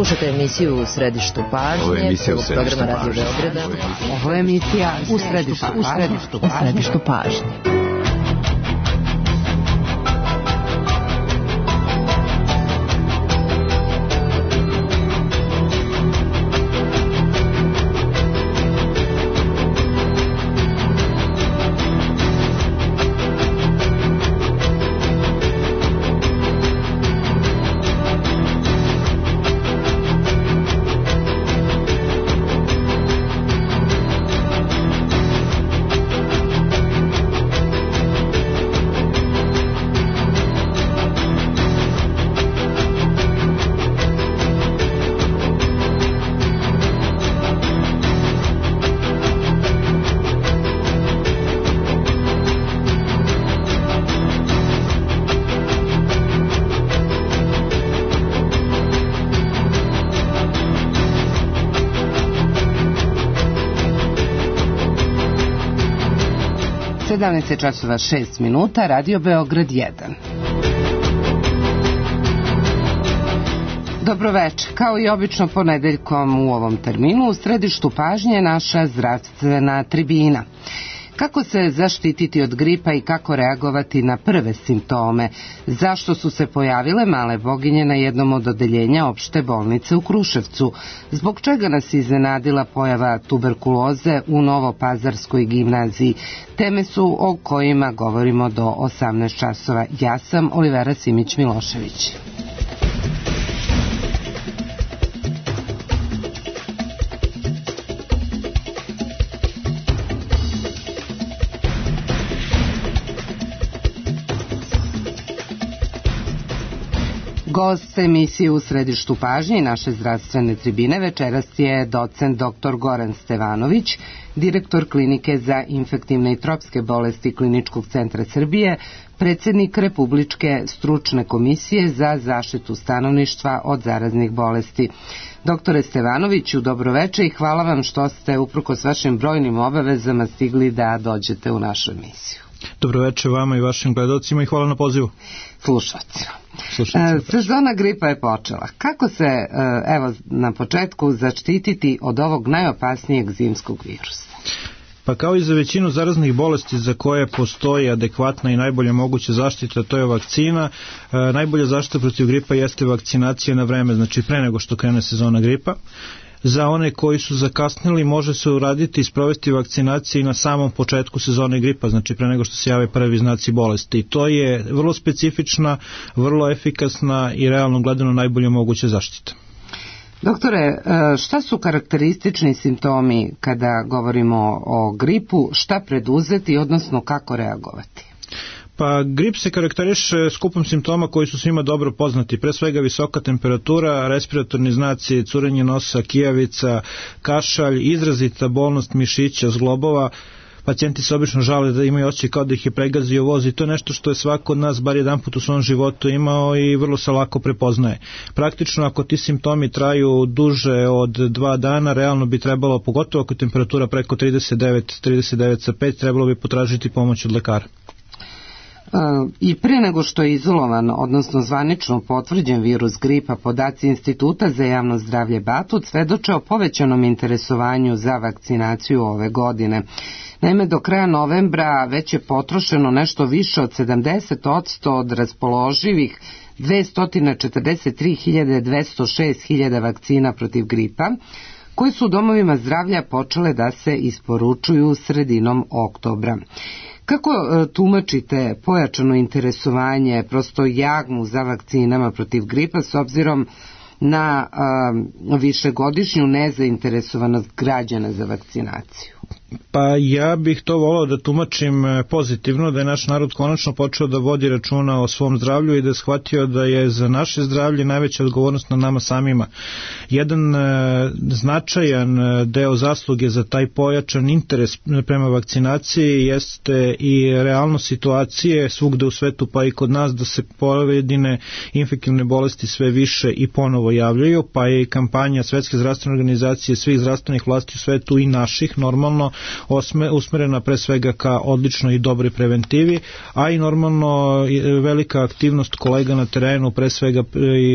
Slušajte emisiju U središtu pažnje. Ovo je emisija U središtu programa Radio Beograda. Ovo je emisija U središtu pažnje. časova 6 minuta, Radio Beograd 1. Dobroveče. Kao i obično ponedeljkom u ovom terminu, u središtu pažnje je naša zdravstvena tribina. Kako se zaštititi od gripa i kako reagovati na prve simptome? Zašto su se pojavile male boginje na jednom od odeljenja opšte bolnice u Kruševcu? Zbog čega nas iznenadila pojava tuberkuloze u Novopazarskoj gimnaziji? Teme su o kojima govorimo do 18 časova. Ja sam Olivera Simić-Milošević. Gost emisije U središtu pažnje i naše zdravstvene tribine večeras je docent dr. Goran Stevanović, direktor Klinike za infektivne i tropske bolesti Kliničkog centra Srbije, predsjednik Republičke stručne komisije za zaštitu stanovništva od zaraznih bolesti. Doktore Stevanoviću, dobroveče i hvala vam što ste uprkos vašim brojnim obavezama stigli da dođete u našu emisiju. Dobroveče vama i vašim gledalcima i hvala na pozivu. Slušalcima. Sezona gripa je počela. Kako se, evo, na početku zaštititi od ovog najopasnijeg zimskog virusa? Pa kao i za većinu zaraznih bolesti za koje postoji adekvatna i najbolje moguća zaštita, to je vakcina. Najbolja zaštita protiv gripa jeste vakcinacija na vreme, znači pre nego što krene sezona gripa. Za one koji su zakasnili može se uraditi i sprovesti vakcinacije na samom početku sezone gripa, znači pre nego što se jave prvi znaci bolesti. I to je vrlo specifična, vrlo efikasna i realno gledano najbolje moguća zaštita. Doktore, šta su karakteristični simptomi kada govorimo o gripu, šta preduzeti, odnosno kako reagovati? Pa grip se karakteriše skupom simptoma koji su svima dobro poznati, pre svega visoka temperatura, respiratorni znaci, curenje nosa, kijavica, kašalj, izrazita bolnost mišića, zglobova. Pacijenti se obično žale da imaju osjećaj kao da ih je pregazio voz i to je nešto što je svako od nas bar jedan put u svom životu imao i vrlo se lako prepoznaje. Praktično ako ti simptomi traju duže od 2 dana, realno bi trebalo, pogotovo ako je temperatura preko 39,5, trebalo bi potražiti pomoć od lekara. I pre nego što je izolovan, odnosno zvanično potvrđen virus gripa, podaci Instituta za javno zdravlje Batut svedoče o povećanom interesovanju za vakcinaciju ove godine. Naime, do kraja novembra već je potrošeno nešto više od 70% od raspoloživih 243.206.000 vakcina protiv gripa, koje su u domovima zdravlja počele da se isporučuju sredinom oktobra. Kako tumačite pojačano interesovanje, prosto jagmu za vakcinama protiv gripa s obzirom na višegodišnju nezainteresovanost građana za vakcinaciju? Pa ja bih to volao da tumačim pozitivno, da je naš narod konačno počeo da vodi računa o svom zdravlju i da je shvatio da je za naše zdravlje najveća odgovornost na nama samima. Jedan značajan deo zasluge za taj pojačan interes prema vakcinaciji jeste i realno situacije svugde u svetu pa i kod nas da se pojedine infektivne bolesti sve više i ponovo javljaju, pa je i kampanja Svetske zdravstvene organizacije, svih zdravstvenih vlasti u svetu i naših normalno usmerena pre svega ka odličnoj i dobroj preventivi, a i normalno velika aktivnost kolega na terenu, pre svega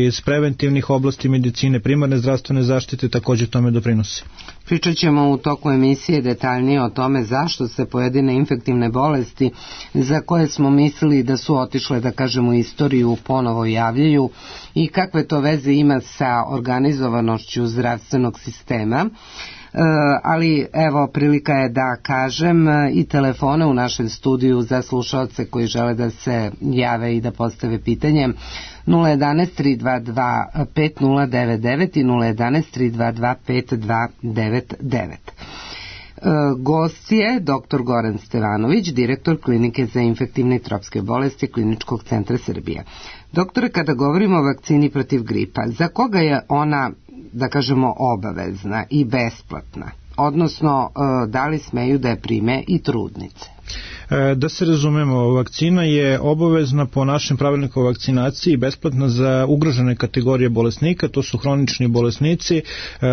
iz preventivnih oblasti medicine, primarne zdravstvene zaštite također tome doprinosi. Pričat ćemo u toku emisije detaljnije o tome zašto se pojedine infektivne bolesti za koje smo mislili da su otišle, da kažemo, istoriju ponovo javljaju i kakve to veze ima sa organizovanošću zdravstvenog sistema. Ali evo, prilika je da kažem i telefone u našem studiju za slušaoce koji žele da se jave i da postave pitanje 011-322-5099 i 011-322-5299. Gost je dr. Goran Stevanović, direktor Klinike za infektivne i tropske bolesti Kliničkog centra Srbije. Doktore, kada govorimo o vakcini protiv gripa, za koga je ona, da kažemo, obavezna i besplatna? Odnosno, da li smeju da je prime i trudnice? Da se razumemo, vakcina je obavezna po našem pravilniku o vakcinaciji, besplatna za ugrožene kategorije bolesnika, to su hronični bolesnici,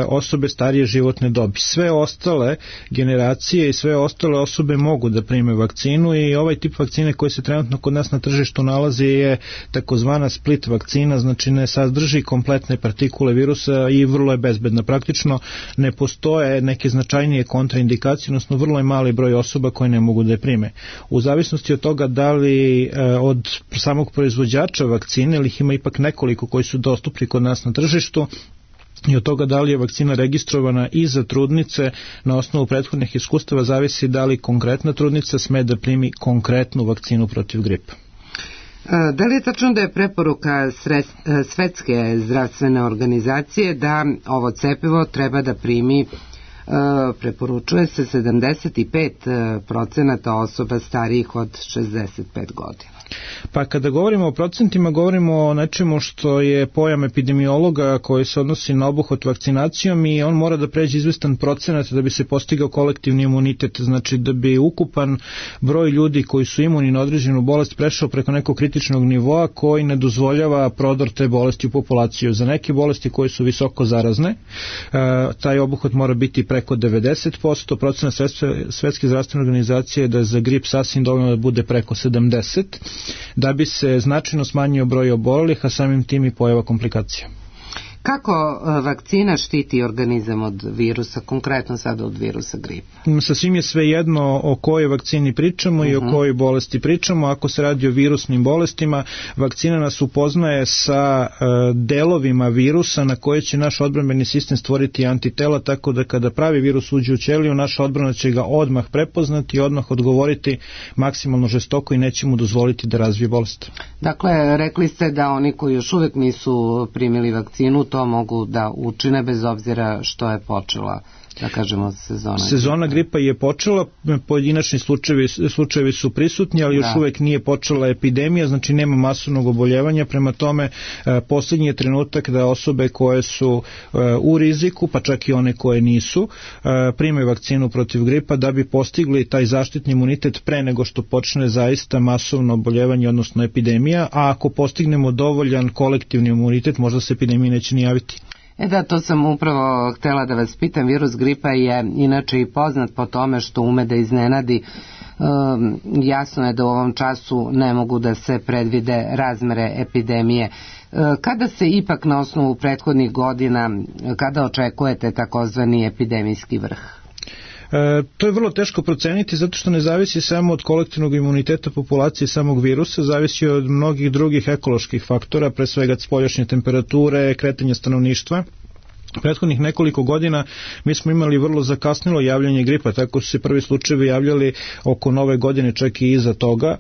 osobe starije životne dobi. Sve ostale generacije i sve ostale osobe mogu da prime vakcinu i ovaj tip vakcine koji se trenutno kod nas na tržištu nalazi je takozvana split vakcina, znači ne sadrži kompletne partikule virusa i vrlo je bezbedna. Praktično ne postoje neke značajnije kontraindikacije, odnosno vrlo je mali broj osoba koje ne mogu da je prime. U zavisnosti od toga da li od samog proizvođača vakcine, ili ih ima ipak nekoliko koji su dostupni kod nas na tržištu, i od toga da li je vakcina registrovana i za trudnice, na osnovu prethodnih iskustava zavisi da li konkretna trudnica sme da primi konkretnu vakcinu protiv gripa. Da li je tačno da je preporuka Svetske zdravstvene organizacije da ovo cepivo treba da primi, preporučuje se 75% osoba starijih od 65 godina? Pa kada govorimo o procentima, govorimo o nečemu što je pojam epidemiologa koji se odnosi na obuhvat vakcinacijom i on mora da pređe izvestan procenat da bi se postigao kolektivni imunitet, znači da bi ukupan broj ljudi koji su imuni na određenu bolest prešao preko nekog kritičnog nivoa koji ne dozvoljava prodor te bolesti u populaciju. Za neke bolesti koje su visoko zarazne, taj obuhvat mora biti preko 90%, procenat Svetske zdravstvene organizacije je da za grip sasvim dovoljno da bude preko 70%, da bi se značajno smanjio broj obolelih, a samim tim i pojava komplikacija. Kako vakcina štiti organizam od virusa, konkretno sada od virusa gripa? Sasvim je sve jedno o kojoj vakcini pričamo i o kojoj bolesti pričamo. Ako se radi o virusnim bolestima, vakcina nas upoznaje sa delovima virusa na koje će naš odbrambeni sistem stvoriti antitela, tako da kada pravi virus uđe u ćeliju, naša odbrana će ga odmah prepoznati i odmah odgovoriti maksimalno žestoko i neće mu dozvoliti da razvije bolest. Dakle, rekli ste da oni koji još uvek nisu primili vakcinu to mogu da učine bez obzira što je počela, da kažemo, sezona gripa je počela, pojedinačni slučajevi su prisutni, ali još uvek nije počela epidemija, znači nema masovnog oboljevanja, prema tome poslednji je trenutak da osobe koje su u riziku, pa čak i one koje nisu, primaju vakcinu protiv gripa da bi postigli taj zaštitni imunitet pre nego što počne zaista masovno oboljevanje, odnosno epidemija, a ako postignemo dovoljan kolektivni imunitet, možda se epidemija neće ni javiti. Da, to sam upravo htela da vas pitam. Virus gripa je inače i poznat po tome što ume da iznenadi. Jasno je da u ovom času ne mogu da se predvide razmere epidemije. Kada se ipak na osnovu prethodnih godina, kada očekujete takozvani epidemijski vrh? To je vrlo teško proceniti zato što ne zavisi samo od kolektivnog imuniteta populacije samog virusa, zavisi od mnogih drugih ekoloških faktora, pre svega spoljašnje temperature, kretanja stanovništva. Prethodnih nekoliko godina mi smo imali vrlo zakasnilo javljanje gripa, tako su se prvi slučajevi javljali oko nove godine, čak i iza toga.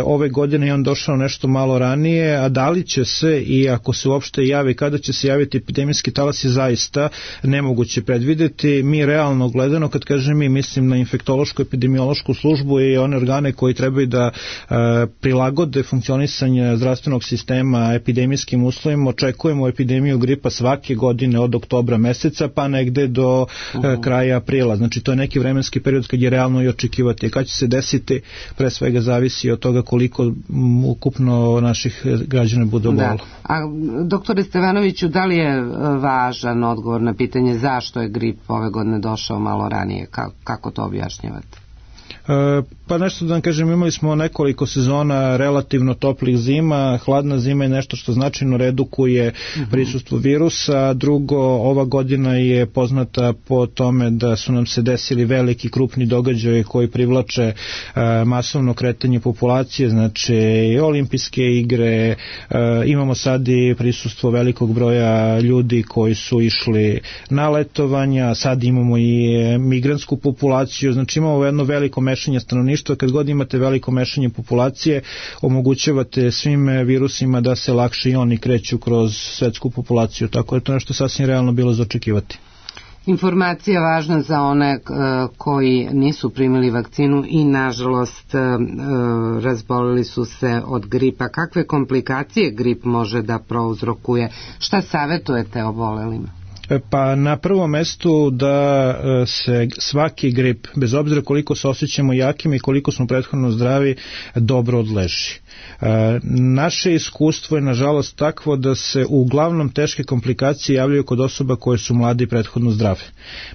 Ove godine je on došao nešto malo ranije, a da li će se i ako se uopšte javi, kada će se javiti epidemijski talas je zaista nemoguće predvideti. Mi realno gledano, kad kažem mi, mislim na infektološku epidemiološku službu i one organe koji trebaju da prilagode funkcionisanje zdravstvenog sistema epidemijskim uslovima. Očekujemo epidemiju gripa svake godine od oktobra oktobra meseca pa negde do kraja aprila. Znači to je neki vremenski period kad je realno i očekivati. Kad će se desiti, pre svega zavisi od toga koliko ukupno naših građana bude obolelo. A doktore Stevanoviću, da li je važan odgovor na pitanje zašto je grip ove godine došao malo ranije? Kako to objašnjavate? Pa nešto da vam kažem, imali smo nekoliko sezona relativno toplih zima, hladna zima je nešto što značajno redukuje prisustvo virusa. Drugo, ova godina je poznata po tome da su nam se desili veliki krupni događaji koji privlače masovno kretanje populacije, znači olimpijske igre, imamo sad i prisustvo velikog broja ljudi koji su išli na letovanja, sad imamo i migrantsku populaciju, znači imamo jedno veliko mešanje stanovništva. Kad god imate veliko mešanje populacije, omogućavate svim virusima da se lakše i oni kreću kroz svetsku populaciju, tako da to nešto sasvim realno bilo za očekivati. Informacija važna za one koji nisu primili vakcinu i nažalost razbolili su se od gripa. Kakve komplikacije grip može da prouzrokuje? Šta savjetujete obolelima? Pa na prvom mestu da se svaki grip, bez obzira koliko se osjećamo jakim i koliko smo prethodno zdravi, dobro odleži. Naše iskustvo je nažalost takvo da se uglavnom teške komplikacije javljaju kod osoba koje su mladi i prethodno zdrave.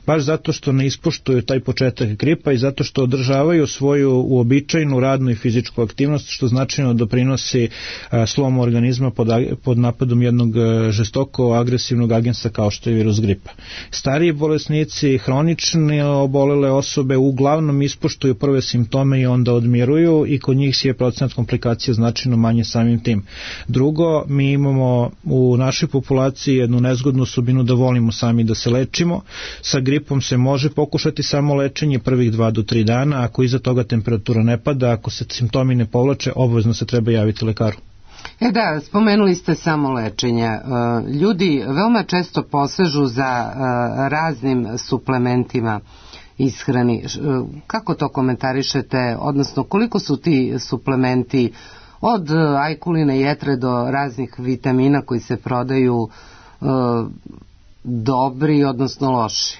Baš zato što ne ispoštuju taj početak gripa i zato što održavaju svoju uobičajenu radnu i fizičku aktivnost, što značajno doprinosi slomu organizma pod napadom jednog žestoko agresivnog agensa kao što je virus gripa. Stariji bolesnici, hronične obolele osobe uglavnom ispoštuju prve simptome i onda odmiruju i kod njih je procenat komplikacija značajno manje samim tim. Drugo, mi imamo u našoj populaciji jednu nezgodnu osobinu da volimo sami da se lečimo. Sa gripom se može pokušati samo lečenje prvih 2 do 3 dana, ako iza toga temperatura ne pada, ako se simptomi ne povlače, obavezno se treba javiti lekaru. Da, spomenuli ste samo lečenje. Ljudi veoma često posežu za raznim suplementima ishrani. Kako to komentarišete, odnosno koliko su ti suplementi od ajkuline jetre do raznih vitamina koji se prodaju dobri, odnosno loši?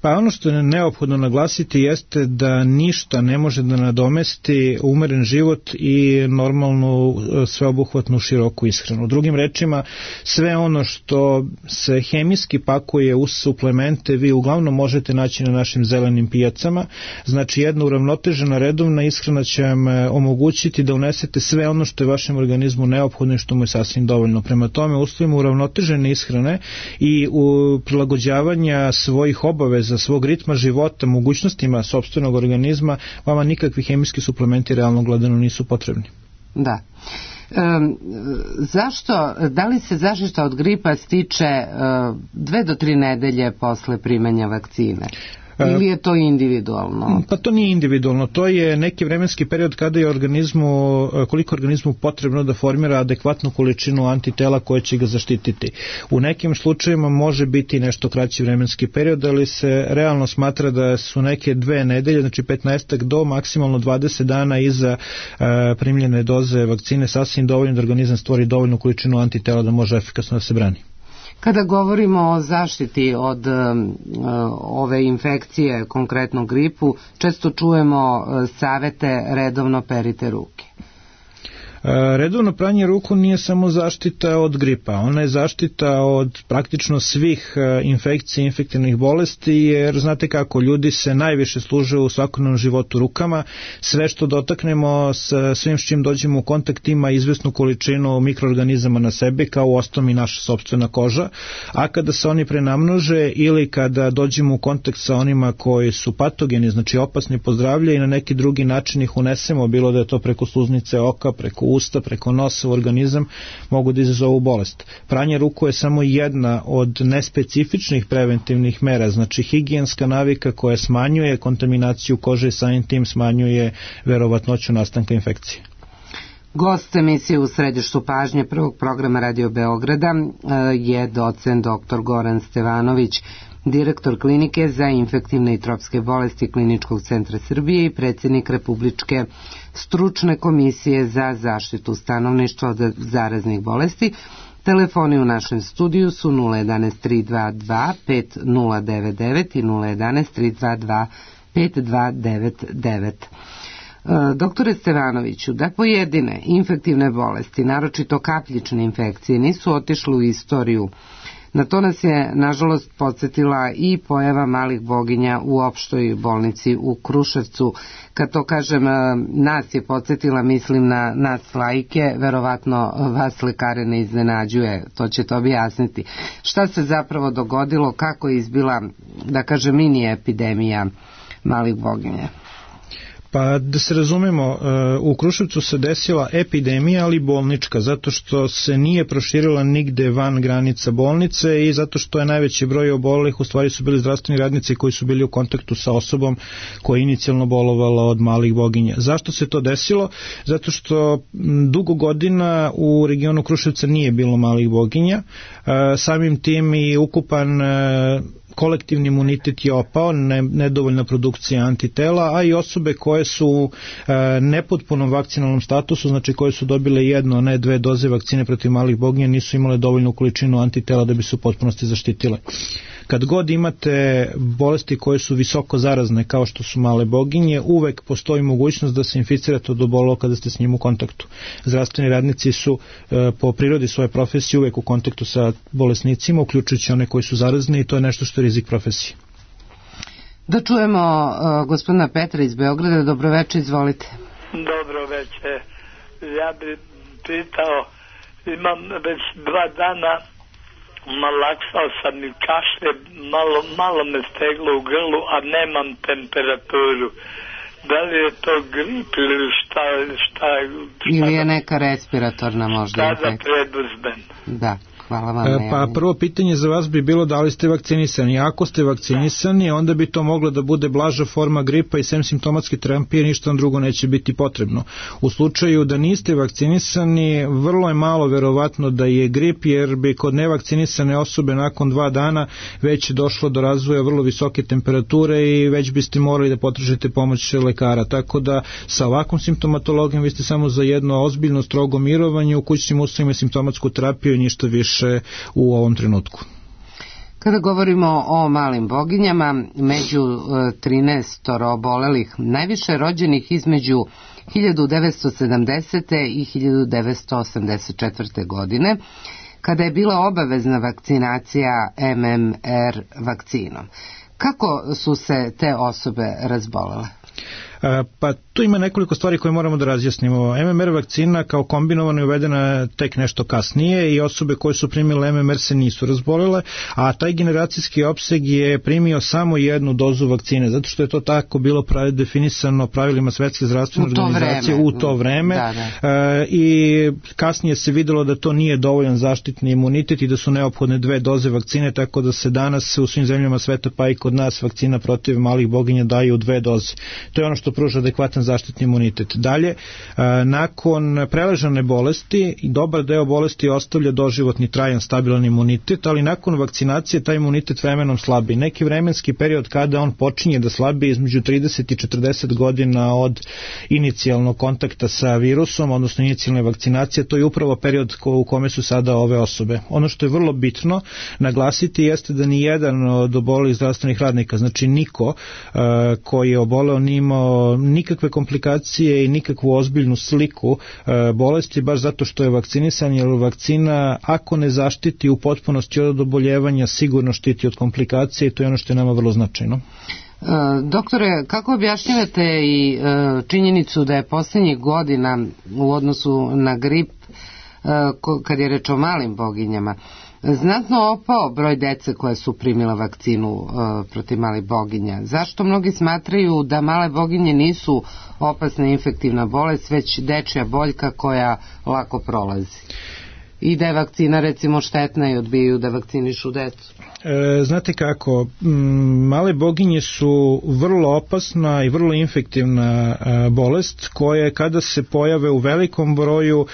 Pa ono što je neophodno naglasiti jeste da ništa ne može da nadomesti umeren život i normalnu sveobuhvatnu široku ishranu. Drugim rečima, sve ono što se hemijski pakuje uz suplemente vi uglavnom možete naći na našim zelenim pijacama. Znači jedna uravnotežena redovna ishrana će vam omogućiti da unesete sve ono što je vašem organizmu neophodno i što mu je sasvim dovoljno. Prema tome, uslovima uravnotežene ishrane i u prilagođavanja svojih obaveza, svog ritma života, mogućnostima sopstvenog organizma, vama nikakvi hemijski suplementi realno gledano nisu potrebni. Da. Zašto, da li se zaštita od gripa stiče 2 do 3 nedelje posle primanja vakcine? Ili je to individualno? Pa to nije individualno, to je neki vremenski period kada je koliko organizmu potrebno da formira adekvatnu količinu antitela koje će ga zaštititi. U nekim slučajevima može biti nešto kraći vremenski period, ali se realno smatra da su neke 2 nedelje, znači 15 do maksimalno 20 dana iza primljene doze vakcine sasvim dovoljno da organizam stvori dovoljnu količinu antitela da može efikasno da se brani. Kada govorimo o zaštiti od ove infekcije, konkretno gripu, često čujemo savete redovno perite ruke. Redovno pranje ruku nije samo zaštita od gripa, ona je zaštita od praktično svih infekcija i infektivnih bolesti, jer znate kako, ljudi se najviše služe u svakodnevnom životu rukama, sve što dotaknemo, svim s čim dođemo u kontakt ima izvesnu količinu mikroorganizama na sebi, kao uostalom i naša sopstvena koža, a kada se oni prenamnože ili kada dođemo u kontakt sa onima koji su patogeni, znači opasni po zdravlje i na neki drugi način ih unesemo, bilo da je to preko sluznice oka, preko usta, preko nosa u organizam, mogu da izazovu bolest. Pranje ruku je samo jedna od nespecifičnih preventivnih mera, znači higijenska navika koja smanjuje kontaminaciju kože i samim tim smanjuje verovatnoću nastanka infekcije. Gost emisije U središtu pažnje prvog programa Radio Beograda je docent dr. Goran Stevanović, direktor klinike za infektivne i tropske bolesti Kliničkog centra Srbije i predsjednik Republičke stručne komisije za zaštitu stanovništva od zaraznih bolesti. Telefoni u našem studiju su 011 322 5099 i 011 322 5299. Doktore Stevanoviću, da pojedine infektivne bolesti, naročito kapljične infekcije, nisu otišle u istoriju, na to nas je, nažalost, podsjetila i pojava malih boginja u opštoj bolnici u Kruševcu. Kad to kažem, nas je podsjetila, mislim na nas laike, verovatno vas lekare ne iznenađuje, to ćete objasniti. Šta se zapravo dogodilo, kako je izbila, da kažem, mini epidemija malih boginja? Pa da se razumemo, u Kruševcu se desila epidemija, ali bolnička, zato što se nije proširila nigde van granica bolnice i zato što je najveći broj obolelih u stvari su bili zdravstveni radnici koji su bili u kontaktu sa osobom koja je inicijalno bolovala od malih boginja. Zašto se to desilo? Zato što dugo godina u regionu Kruševca nije bilo malih boginja, samim tim i ukupan kolektivni imunitet je opao, nedovoljna produkcija antitela, a i osobe koje su u nepotpunom vakcinalnom statusu, znači koje su dobile jedno, a ne dve doze vakcine protiv malih boginja, nisu imale dovoljnu količinu antitela da bi se u potpunosti zaštitile. Kad god imate bolesti koje su visoko zarazne, kao što su male boginje, uvek postoji mogućnost da se inficirate od obolelo kada ste s njim u kontaktu. Zdravstveni radnici su po prirodi svoje profesije uvek u kontaktu sa bolesnicima, uključujući one koji su zarazni, i to je nešto što je rizik profesije. Da čujemo gospodina Petra iz Beograda. Dobroveče, izvolite. Dobroveče. Ja bih pitao, imam već 2 dana, malaksao sam i kašlje, malo me steglo u grlu, a nemam temperaturu. Da li je to grip ili šta ili je neka respiratorna možda infekcija? Šta da preduzmem? Da. Hvala vam. Pa prvo pitanje za vas bi bilo da li ste vakcinisani. Ako ste vakcinisani, onda bi to moglo da bude blaža forma gripa i sem simptomatske terapije ništa drugo neće biti potrebno. U slučaju da niste vakcinisani, vrlo je malo verovatno da je grip, jer bi kod nevakcinisane osobe nakon 2 dana već došlo do razvoja vrlo visoke temperature i već biste morali da potražite pomoć lekara. Tako da sa ovakvom simptomatologijom vi ste samo za jedno ozbiljno strogo mirovanje u kućnim uslovima, simptomatsku terapiju i ništa više u ovom trenutku. Kada govorimo o malim boginjama, među 13 obolelih, najviše rođenih između 1970. i 1984. godine, kada je bila obavezna vakcinacija MMR vakcinom. Kako su se te osobe razbolele? Pa tu ima nekoliko stvari koje moramo da razjasnimo. MMR vakcina kao kombinovana je uvedena tek nešto kasnije i osobe koje su primile MMR se nisu razbolele, a taj generacijski opseg je primio samo jednu dozu vakcine, zato što je to tako bilo definisano pravilima Svetske zdravstvene organizacije u to vreme. I kasnije se videlo da to nije dovoljan zaštitni imunitet i da su neophodne 2 doze vakcine, tako da se danas u svim zemljama sveta, pa i kod nas, vakcina protiv malih boginja daju u 2 doze. To je ono što pruža adekvatan zaštitni imunitet. Dalje, nakon preležane bolesti, dobar deo bolesti ostavlja doživotni trajan stabilan imunitet, ali nakon vakcinacije taj imunitet vremenom slabi. Neki vremenski period kada on počinje da slabi između 30 i 40 godina od inicijalnog kontakta sa virusom, odnosno inicijalne vakcinacije, to je upravo period u kome su sada ove osobe. Ono što je vrlo bitno naglasiti jeste da ni jedan od obolelih zdravstvenih radnika, znači niko koji je oboleo, nije imao nikakve komplikacije i nikakvu ozbiljnu sliku bolesti, baš zato što je vakcinisan, jer vakcina, ako ne zaštiti u potpunosti od oboljevanja, sigurno štiti od komplikacije i to je ono što je nama vrlo značajno. Doktore, kako objašnjavate i činjenicu da je posljednjih godina u odnosu na grip, kad je reč o malim boginjama, znatno opao broj dece koje su primila vakcinu protiv malih boginja? Zašto mnogi smatraju da male boginje nisu opasna infektivna bolest, već dečja boljka koja lako prolazi? I da je vakcina recimo štetna i odbijaju da vakcinišu decu? Znate kako, male boginje su vrlo opasna i vrlo infektivna bolest koje kada se pojave u velikom broju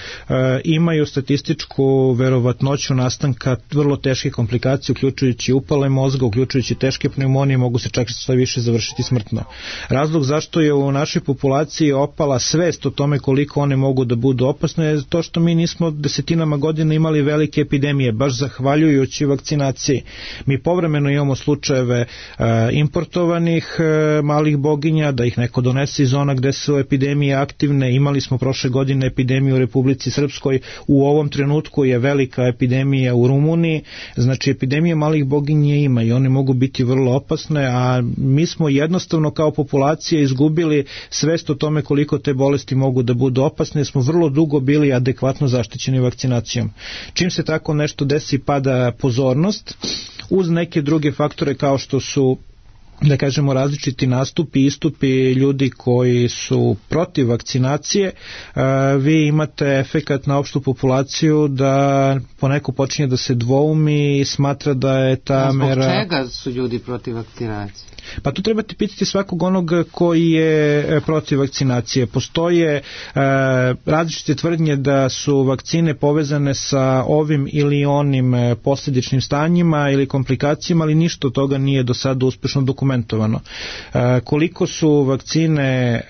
imaju statističku verovatnoću nastanka vrlo teške komplikacije, uključujući upale mozga, uključujući teške pneumonije, mogu se čak sve više završiti smrtno. Razlog zašto je u našoj populaciji opala svest o tome koliko one mogu da budu opasne je to što mi nismo desetinama godina godina imali velike epidemije, baš zahvaljujući vakcinaciji. Mi povremeno imamo slučajeve importovanih malih boginja, da ih neko donese iz zona gde su epidemije aktivne. Imali smo prošle godine epidemiju u Republici Srpskoj, u ovom trenutku je velika epidemija u Rumuniji, znači epidemije malih boginja ima i one mogu biti vrlo opasne, a mi smo jednostavno kao populacija izgubili svest o tome koliko te bolesti mogu da budu opasne, smo vrlo dugo bili adekvatno zaštićeni vakcinacijom. Čim se tako nešto desi, pada pozornost, uz neke druge faktore kao što su, da kažemo, različiti nastupi, istupi ljudi koji su protiv vakcinacije, vi imate efekat na opštu populaciju da poneko počinje da se dvoumi i smatra da je ta mera... Zbog čega su ljudi protiv vakcinacije? Pa tu trebate pitati svakog onog koji je protiv vakcinacije. Postoje različite tvrdnje da su vakcine povezane sa ovim ili onim posljedičnim stanjima ili komplikacijama, ali ništa od toga nije do sada uspešno dokumentovano. Koliko su vakcine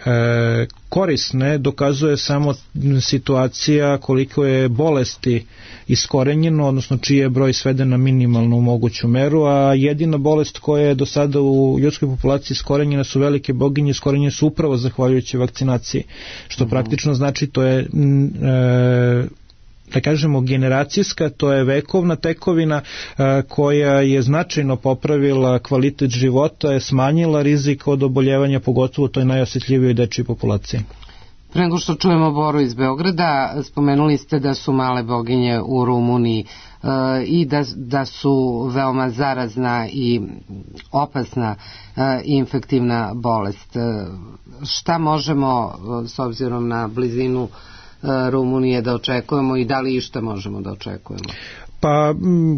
korisne dokazuje samo situacija koliko je bolesti iskorenjeno, odnosno čiji je broj sveden na minimalnu moguću meru, a jedina bolest koja je do sada u ljudskoj populaciji iskorenjena su velike boginje, iskorenjene su upravo zahvaljujući vakcinaciji, što praktično znači to je da kažemo generacijska, to je vekovna tekovina koja je značajno popravila kvalitet života, je smanjila rizik od oboljevanja, pogotovo toj najosjetljivijoj dečjoj populaciji. Pre nego što čujemo Boru iz Beograda, spomenuli ste da su male boginje u Rumuniji i da su veoma zarazna i opasna infektivna bolest. Šta možemo s obzirom na blizinu Rumunije da očekujemo i da li išta možemo da očekujemo? Pa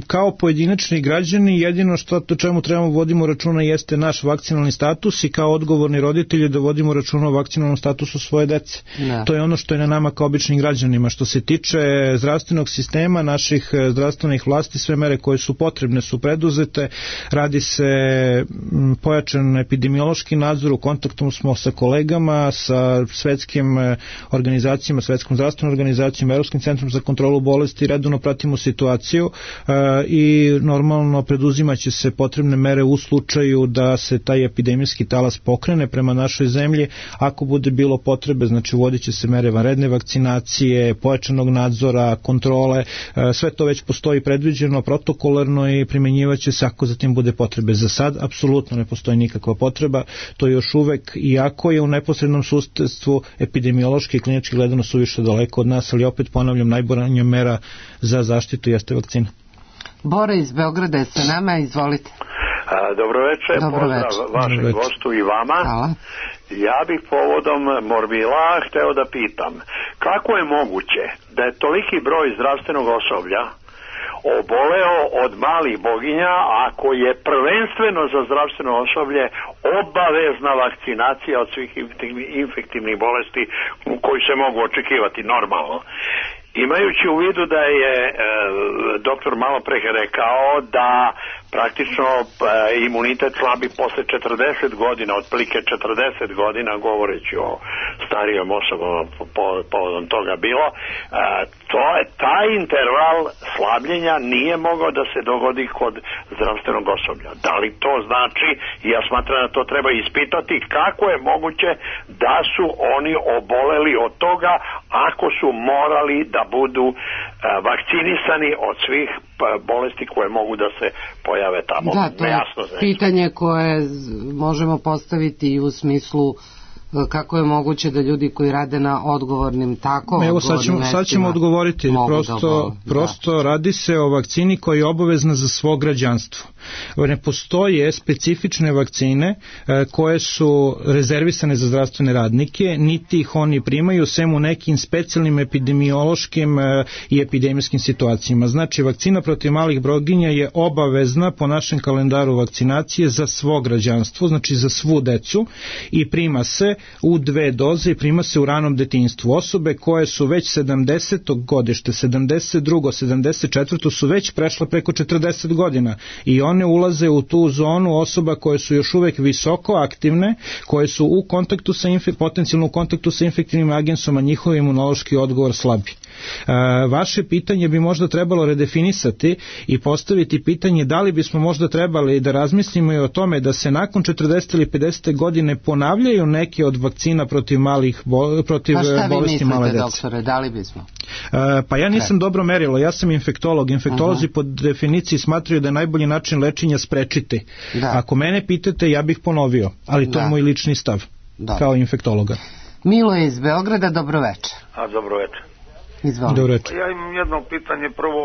kao pojedinačni građani jedino što o čemu trebamo vodimo računa jeste naš vakcinalni status i kao odgovorni roditelji da vodimo računa o vakcinalnom statusu svoje dece. To je ono što je na nama kao običnim građanima. Što se tiče zdravstvenog sistema, naših zdravstvenih vlasti, sve mere koje su potrebne su preduzete. Radi se pojačan epidemiološki nadzor, u kontaktu smo sa kolegama, sa svetskim organizacijama, svetskom zdravstvenom organizacijom, Evropskim centrom za kontrolu bolesti, redovno pratimo situaciju i normalno preduzimaće se potrebne mere u slučaju da se taj epidemijski talas pokrene prema našoj zemlji. Ako bude bilo potrebe, znači vodit će se mere vanredne vakcinacije, pojačanog nadzora, kontrole, sve to već postoji predviđeno protokolarno i primjenjivaće se ako zatim bude potrebe. Za sad apsolutno ne postoji nikakva potreba, to još uvek, iako je u neposrednom susedstvu epidemiološki i klinički gledano suviše daleko od nas, ali opet ponavljam, najbolja mera za zaštitu jeste vakcina. Bora iz Beograda je sa nama, izvolite. Dobro večer, pozdrav vašem gostu i vama. Hvala. Ja bih povodom morbila hteo da pitam, kako je moguće da je toliki broj zdravstvenog osoblja oboleo od malih boginja, ako je prvenstveno za zdravstveno osoblje obavezna vakcinacija od svih infektivnih bolesti koji se mogu očekivati normalno. Imajući u vidu da je doktor malo pre rekao da praktično imunitet slabi posle 40 godina, otprilike 40 godina, govoreći o starijom osobama povodom toga bilo, taj interval slabljenja nije mogao da se dogodi kod zdravstvenog osoblja. Da li to znači, ja smatram da to treba ispitati, kako je moguće da su oni oboleli od toga ako su morali da budu vakcinisani od svih bolesti koje mogu da se pojave tamo. Da, to je pitanje koje možemo postaviti i u smislu kako je moguće da ljudi koji rade na odgovornim sad ćemo odgovoriti, prosto radi se o vakcini koja je obavezna za svo građanstvo. Ne postoje specifične vakcine koje su rezervisane za zdravstvene radnike, niti ih oni primaju, sem u nekim specijalnim epidemiološkim i epidemijskim situacijama. Znači, vakcina protiv malih boginja je obavezna po našem kalendaru vakcinacije za svo građanstvo, znači za svu decu, i prima se u 2 doze i prima se u ranom detinjstvu. Osobe koje su već 70. godište, 72. 74. su već prešle preko 40 godina i one ulaze u tu zonu osoba koje su još uvek visoko aktivne, koje su u kontaktu sa potencijalno u kontaktu sa infektivnim agensom, a njihov imunološki odgovor slabi. Vaše pitanje bi možda trebalo redefinisati i postaviti pitanje da li bismo možda trebali da razmislimo i o tome da se nakon 40 ili 50 godine ponavljaju neke od vakcina protiv protiv bolesti male dece. Doktore, da li bismo? Pa ja nisam dobro merilo, ja sam infektolog. Infektolozi po definiciji smatraju da je najbolji način lečenja sprečiti. Ako mene pitate, ja bih ponovio, ali to je moj lični stav kao infektologa. Milo je iz Beograda, dobroveče. Dobroveče. Izvolite. Dobroveče. Ja imam jedno pitanje. Prvo,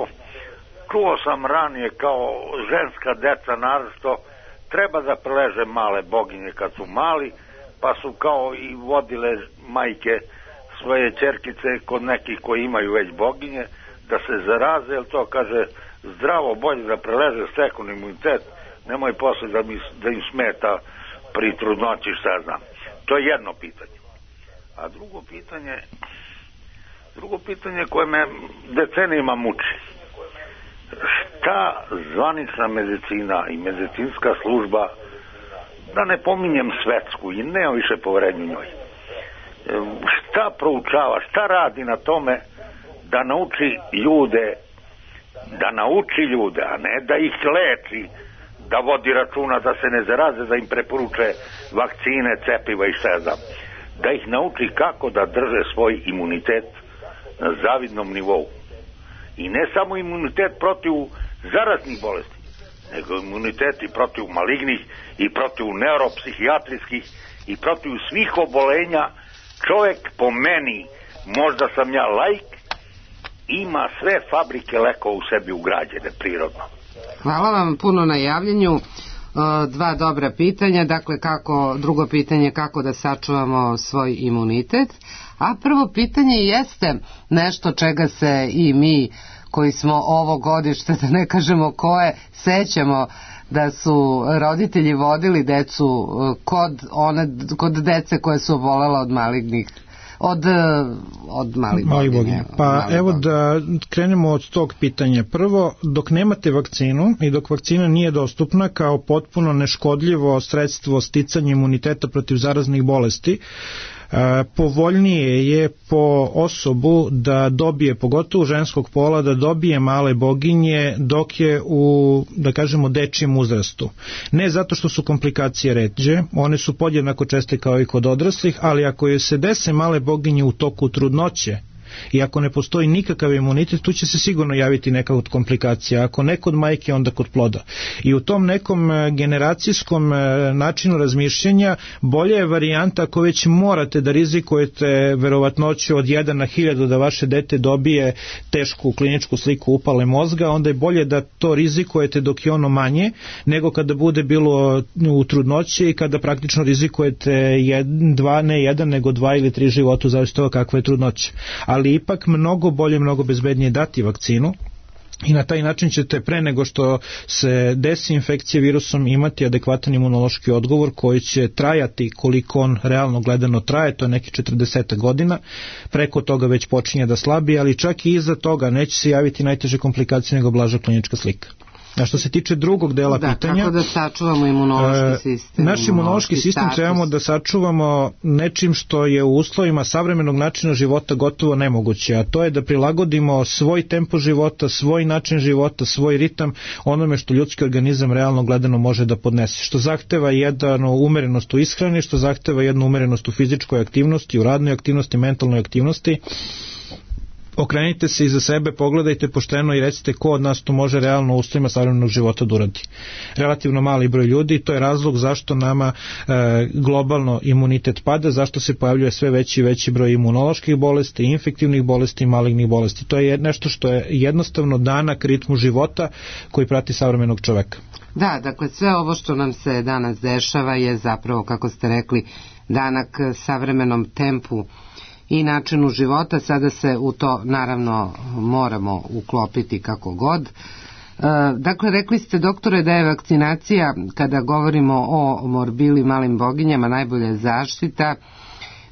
čuo sam ranije kao ženska deca naročito treba da preleže male boginje kad su mali, pa su kao i vodile majke svoje ćerkice kod nekih koji imaju već boginje da se zaraze, jer to kaže zdravo, bolje da preleže, steknu imunitet, nemoj posle da im smeta pri trudnoći, šta znam. To je jedno pitanje. A drugo pitanje koje me decenijima muči. Šta zvanična medicina i medicinska služba, da ne pominjem svetsku i nema više poverenja njoj, šta proučava, šta radi na tome da nauči ljude, a ne da ih leči, da vodi računa da se ne zaraze, da im preporuče vakcine, cepiva i šta znam, da ih nauči kako da drže svoj imunitet na zavidnom nivou. I ne samo imunitet protiv zaraznih bolesti, nego imunitet i protiv malignih i protiv neuropsihijatrijskih i protiv svih obolenja. Čovjek po meni, možda sam ja laik, ima sve fabrike lekova u sebi ugrađene prirodno. Hvala vam puno na javljanju. Dva dobra pitanja. Dakle, drugo pitanje kako da sačuvamo svoj imunitet. A prvo pitanje jeste nešto čega se i mi koji smo ovo godište, da ne kažemo koje, sećamo da su roditelji vodili decu kod dece koje su obolela od malignih od malih boginja. Pa evo da krenemo od tog pitanja. Prvo, dok nemate vakcinu i dok vakcina nije dostupna kao potpuno neškodljivo sredstvo sticanja imuniteta protiv zaraznih bolesti, povoljnije je po osobu da dobije, pogotovo ženskog pola, da dobije male boginje dok je u, da kažemo, dečijem uzrastu. Ne zato što su komplikacije ređe, one su podjednako česte kao i kod odraslih, ali ako joj se dese male boginje u toku trudnoće i ako ne postoji nikakav imunitet, tu će se sigurno javiti neka od komplikacija. Ako ne kod majke, onda kod ploda. I u tom nekom generacijskom načinu razmišljanja bolja je varijanta ako već morate da rizikujete verovatnoću od 1 na 1000 da vaše dete dobije tešku kliničku sliku upale mozga, onda je bolje da to rizikujete dok je ono manje, nego kada bude bilo u trudnoći i kada praktično rizikujete ne 1 nego 2 ili 3 života, u zavisnosti od kakva je trudnoća. Ali ipak mnogo bolje, mnogo bezbednije dati vakcinu i na taj način ćete pre nego što se desi infekcija virusom imati adekvatan imunološki odgovor koji će trajati koliko on realno gledano traje, to je neki 40 godina, preko toga već počinje da slabi, ali čak i iza toga neće se javiti najteže komplikacije nego blaža klinička slika. A što se tiče drugog dela pitanja, kako da sačuvamo imunološki sistem? Naš imunološki sistem trebamo da sačuvamo nečim što je u uslovima savremenog načina života gotovo nemoguće, a to je da prilagodimo svoj tempo života, svoj način života, svoj ritam onome što ljudski organizam realno gledano može da podnese, što zahteva jednu umerenost u ishrani, što zahteva jednu umerenost u fizičkoj aktivnosti, u radnoj aktivnosti, mentalnoj aktivnosti. Okrenite se iza sebe, pogledajte pošteno i recite ko od nas to može realno u uslovima savremenog života da uradi. Relativno mali broj ljudi, to je razlog zašto nama globalno imunitet pada, zašto se pojavljuje sve veći i veći broj imunoloških bolesti, infektivnih bolesti i malignih bolesti. To je nešto što je jednostavno danak ritmu života koji prati savremenog čoveka. Da, dakle sve ovo što nam se danas dešava je zapravo, kako ste rekli, danak savremenom tempu i načinu života. Sada se u to naravno moramo uklopiti kako god. Dakle, rekli ste, doktore, da je vakcinacija, kada govorimo o morbili, malim boginjama, najbolja zaštita.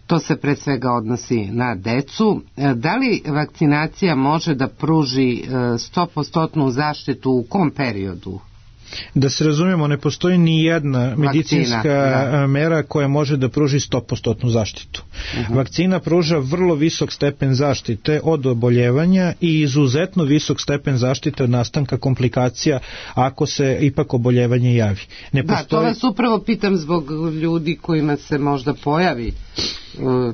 To se pre svega odnosi na decu. Da li vakcinacija može da pruži 100% zaštitu u kom periodu? Da se razumijemo, ne postoji ni jedna medicinska mera koja može da pruži 100% zaštitu. Vakcina pruža vrlo visok stepen zaštite od oboljevanja i izuzetno visok stepen zaštite od nastanka komplikacija ako se ipak oboljevanje javi. To vas upravo pitam zbog ljudi kojima se možda pojavi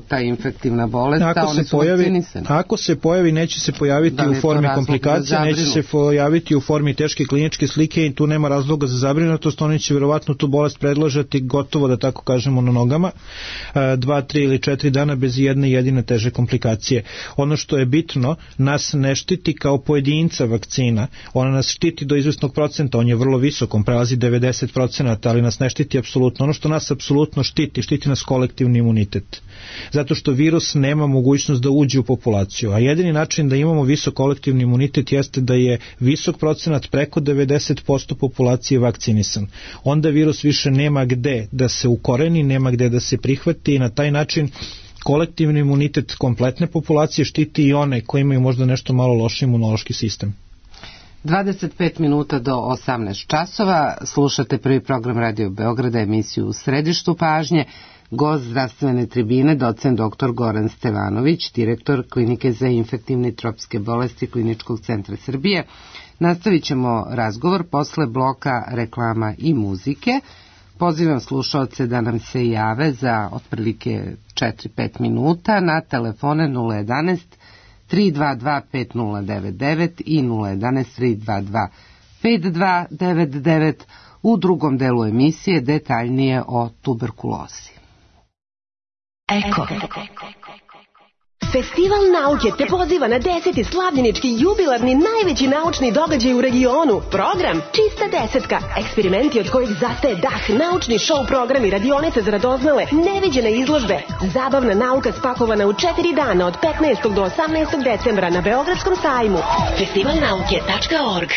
ta infektivna bolest, a oni su vakcinisani. Ako se pojavi, neće se pojaviti u formi komplikacija, neće se pojaviti u formi teške kliničke slike i tu nema razloga za zabrinutost. Oni će vjerovatno tu bolest predložiti gotovo, da tako kažemo, na nogama 2, 3 ili 4 dana bez jedne jedine teže komplikacije. Ono što je bitno, nas ne štiti kao pojedinca vakcina, ona nas štiti do izvesnog procenta, on je vrlo visok, on prelazi 90%, ali nas ne štiti apsolutno. Ono što nas apsolutno štiti nas kolektivni imunitet. Zato što virus nema mogućnost da uđe u populaciju, a jedini način da imamo visok kolektivni imunitet jeste da je visok procenat, preko 90% populacije vakcinisan. Onda virus više nema gde da se ukoreni, nema gde da se prihvati i na taj način kolektivni imunitet kompletne populacije štiti i one koji imaju možda nešto malo loši imunološki sistem. 25 minuta do 18 časova, slušate prvi program Radio Beograda, emisiju U središtu pažnje. Gost zdravstvene tribine, docent dr. Goran Stevanović, direktor Klinike za infektivne i tropske bolesti Kliničkog centra Srbije. Nastavit ćemo razgovor posle bloka reklama i muzike. Pozivam slušaoce da nam se jave za otprilike 4-5 minuta na telefone 011 322 5099 i 011 322 5299. U drugom delu emisije detaljnije o tuberkulozi. Eko. Festival nauke te poziva na 10. slavljenički jubilarni najveći naučni događaj u regionu. Program Čista desetka. Eksperimenti od kojih zastaje dah, naučni show programi, radionice za radoznale, neviđene izložbe. Zabavna nauka spakovana u 4 dana od 15. do 18. decembra na Beogradskom sajmu. Festivalnauke.org.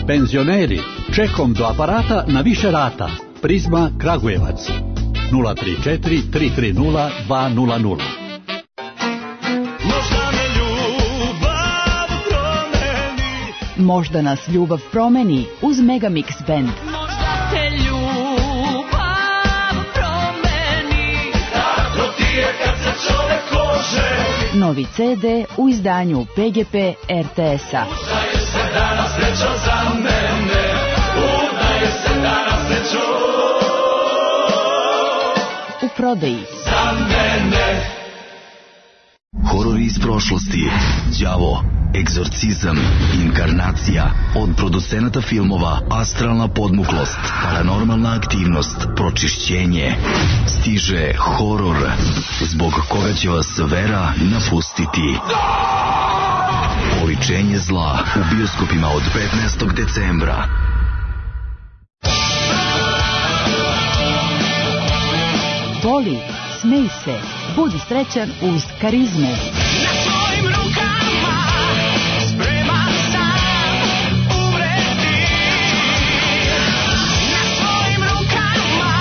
Penzioneri, čekom do aparata na više rata. Prizma Kragujevac 034 330 200. Možda nas ljubav promeni uz Megamix Band. Možda te ljubav promeni, tako ti je kad se čovek kože. Novi CD u izdanju PGP RTS-a. Udaje se danas srećo za mene, udaje se danas srećo. U prodaji. Za mene. Horori iz prošlosti, đavo, egzorcizam, inkarnacija, od producenata filmova Astralna podmuklost, Paranormalna aktivnost, Pročišćenje. Stiže horor, zbog koga će vas vera napustiti. Oličenje zla u bioskopima od 15. decembra. Voli, smej se, budi srećan uz Karizmu. Na tvojim rukama spreman sam umreti. Na tvojim rukama.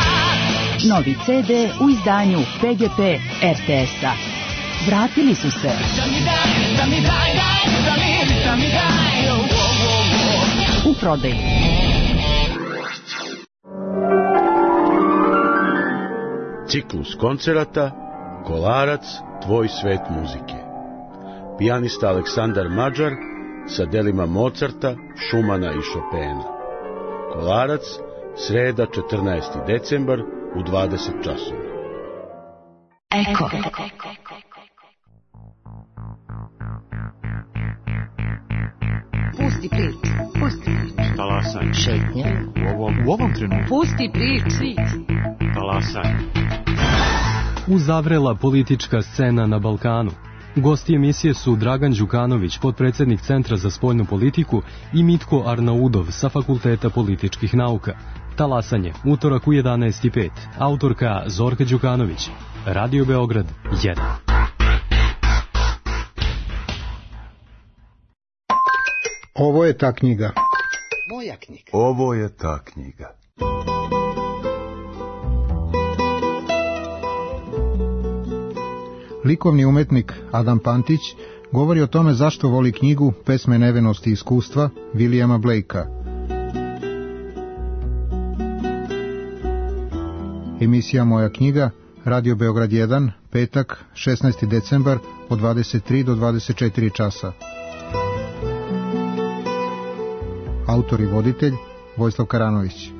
Novi CD u izdanju PGP RTS-a. Vratili su se. U prodaji. Ciklus koncerata Kolarac, tvoj svet muzike. Pijanista Aleksandar Mađar sa delima Mozarta, Šumana i Šopena. Kolarac, sreda 14. decembar u 20 časova. Eko. Pusti priču. Talasanje. Šetnja. U ovom trenutku. Pusti priču. Talasanje. Uzavrela politička scena na Balkanu. Gosti emisije su Dragan Đukanović, potpredsednik Centra za spoljnu politiku, i Mitko Arnaudov sa Fakulteta političkih nauka. Talasanje, utorak u 11:05. Autorka Zorka Đukanović. Radio Beograd 1. Ovo je ta knjiga. Moja knjiga. Ovo je ta knjiga. Likovni umetnik Adam Pantić govori o tome zašto voli knjigu Pesme nevenosti i iskustva Williama Blakea. emisija Moja knjiga, Radio Beograd 1, petak, 16. decembar, od 23 do 24 časa. Autor i voditelj Vojislav Karanović.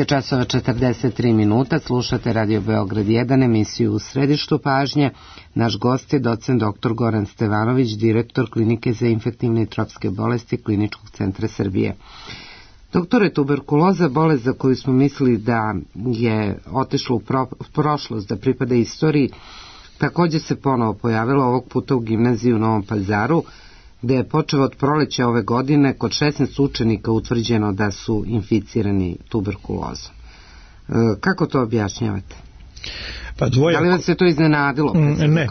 časova 43 minuta, slušate Radio Beograd 1, emisiju U središtu pažnje. Naš gost je docent dr. Goran Stevanović, direktor Klinike za infektivne i tropske bolesti Kliničkog centra Srbije. Doktore, tuberkuloza, bolest za koju smo mislili da je otišla u prošlost, da pripada istoriji, također se ponovo pojavila ovog puta u gimnaziji u Novom Pazaru, gde je počeo od proleća ove godine kod 16 učenika utvrđeno da su inficirani tuberkulozom. Kako to objašnjavate? Pa da li vas se to iznenadilo? Ne,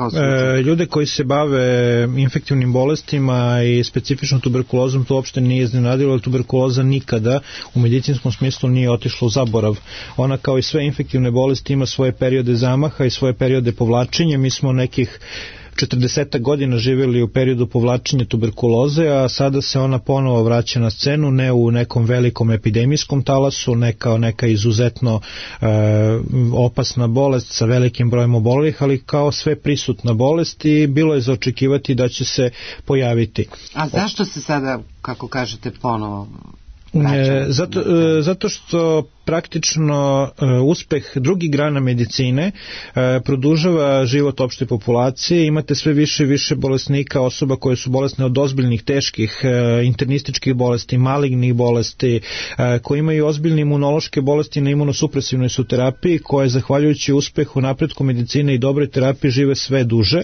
ljude koji se bave infektivnim bolestima i specifično tuberkulozom to uopšte nije iznenadilo, jer tuberkuloza nikada u medicinskom smislu nije otišla u zaborav. Ona kao i sve infektivne bolesti ima svoje periode zamaha i svoje periode povlačenja. Mi smo nekih 40 godina živjeli u periodu povlačenja tuberkuloze, a sada se ona ponovo vraća na scenu, ne u nekom velikom epidemijskom talasu, ne kao neka izuzetno opasna bolest sa velikim brojem obolelih, ali kao sve prisutna bolest i bilo je za očekivati da će se pojaviti. A zašto se sada, kako kažete, ponovo zato što praktično uspeh drugih grana medicine produžava život opšte populacije, imate sve više i više bolesnika, osoba koje su bolesne od ozbiljnih, teških, internističkih bolesti, malignih bolesti, koji imaju ozbiljne imunološke bolesti na imunosupresivnoj su terapiji, koje zahvaljujući uspehu, napretku medicine i dobroj terapiji žive sve duže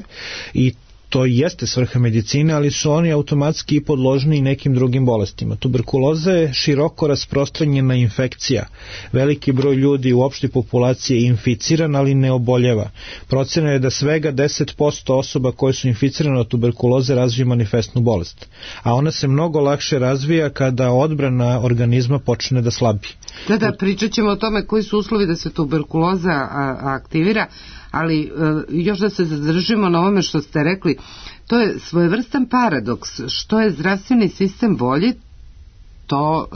i to jeste svrha medicine, ali su oni automatski i podložni i nekim drugim bolestima. Tuberkuloza je široko rasprostranjena infekcija. Veliki broj ljudi u opštoj populaciji je inficiran, ali ne oboljeva. Procena je da svega 10% osoba koje su inficirane od tuberkuloze razvije manifestnu bolest. A ona se mnogo lakše razvija kada odbrana organizma počne da slabi. Da, pričat ćemo o tome koji su uslovi da se tuberkuloza aktivira, ali još da se zadržimo na ovome što ste rekli, to je svojevrstan paradoks. Što je zdravstveni sistem bolji, to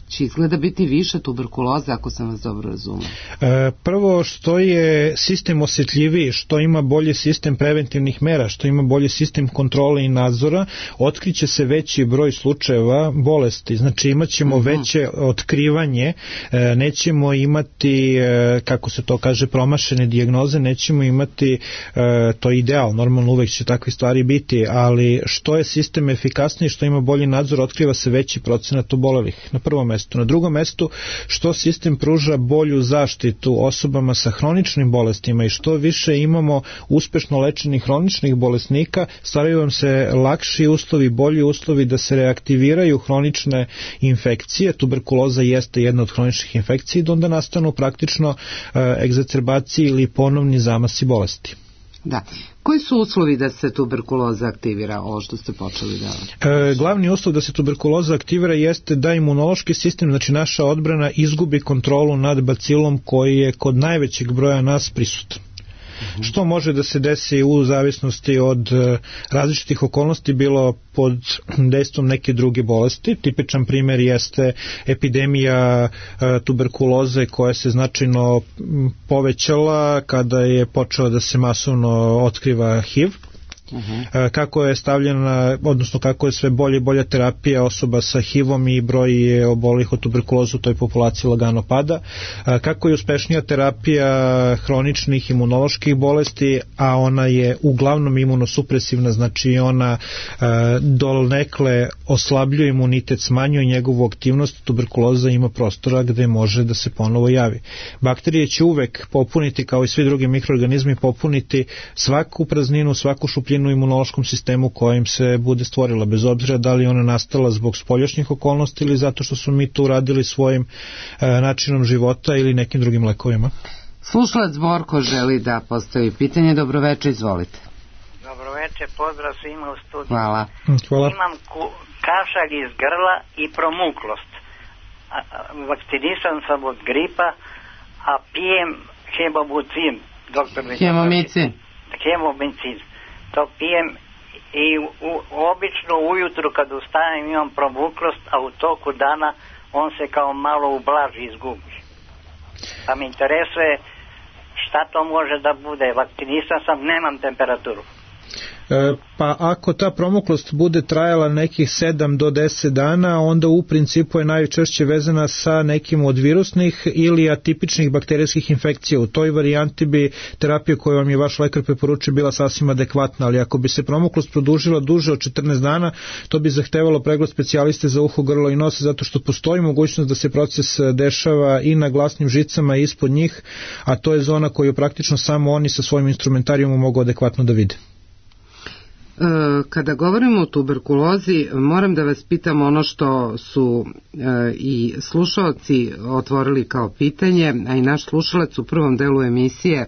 će izgleda biti više tuberkuloza, ako sam vas dobro razumio. Prvo, što je sistem osjetljiviji, što ima bolji sistem preventivnih mera, što ima bolji sistem kontrole i nadzora, otkriće se veći broj slučajeva bolesti. Znači imat ćemo veće otkrivanje, nećemo imati, kako se to kaže, promašene dijagnoze, nećemo imati, to je ideal, normalno uvek će takve stvari biti, ali što je sistem efikasniji, što ima bolji nadzor, otkriva se veći procenat obolelih, na prvom mestu. Na drugom mestu, što sistem pruža bolju zaštitu osobama sa hroničnim bolestima i što više imamo uspešno lečenih hroničnih bolesnika, stvaraju vam se lakši uslovi, bolji uslovi da se reaktiviraju hronične infekcije. Tuberkuloza jeste jedna od hroničnih infekcija i da onda nastanu praktično egzacerbacije ili ponovni zamasi bolesti. Da. Koji su uslovi da se tuberkuloza aktivira, ovo što ste počeli da... Glavni uslov da se tuberkuloza aktivira jeste da imunološki sistem, znači naša odbrana, izgubi kontrolu nad bacilom koji je kod najvećeg broja nas prisutan. Što može da se desi u zavisnosti od različitih okolnosti, bilo pod dejstvom neke druge bolesti. Tipičan primjer jeste epidemija tuberkuloze koja se značajno povećala kada je počela da se masovno otkriva HIV. Kako je stavljena, odnosno kako je sve bolje i bolja terapija osoba sa HIV-om i broj obolelih od tuberkulozu u toj populaciji lagano pada, kako je uspešnija terapija hroničnih imunoloških bolesti, a ona je uglavnom imunosupresivna, znači ona donekle oslabljuje imunitet, smanjuje njegovu aktivnost, tuberkuloza ima prostora gde može da se ponovo javi. Bakterije će uvek popuniti, kao i svi drugi mikroorganizmi, popuniti svaku prazninu, svaku šupljinu u imunološkom sistemu kojim se bude stvorila, bez obzira da li ona nastala zbog spoljašnjih okolnosti ili zato što su mi to uradili svojim načinom života ili nekim drugim lekovima. Slušalac Borko želi da postavi pitanje. Dobroveče, izvolite. Dobroveče, pozdrav svima u studiju. Hvala. Imam kašalj iz grla i promuklost. Vakcinisan sam od gripa, a pijem hemomicin. Hemomicin. To pijem i obično ujutru kad ustanem imam promuklost, a u toku dana on se kao malo ublaži, izgubi. Pa me interesuje šta to može da bude. Vakcinisan sam, nemam temperaturu. Pa ako ta promuklost bude trajala nekih 7 do 10 dana, onda u principu je najčešće vezana sa nekim od virusnih ili atipičnih bakterijskih infekcija. U toj varijanti bi terapija koju vam je vaš lekar preporučio bila sasvim adekvatna, ali ako bi se promuklost produžila duže od 14 dana, to bi zahtevalo pregled specijaliste za uho, grlo i nos, zato što postoji mogućnost da se proces dešava i na glasnim žicama i ispod njih, a to je zona koju praktično samo oni sa svojim instrumentarijom mogu adekvatno da vide. Kada govorimo o tuberkulozi, moram da vas pitam ono što su i slušalci otvorili kao pitanje, a i naš slušalac u prvom delu emisije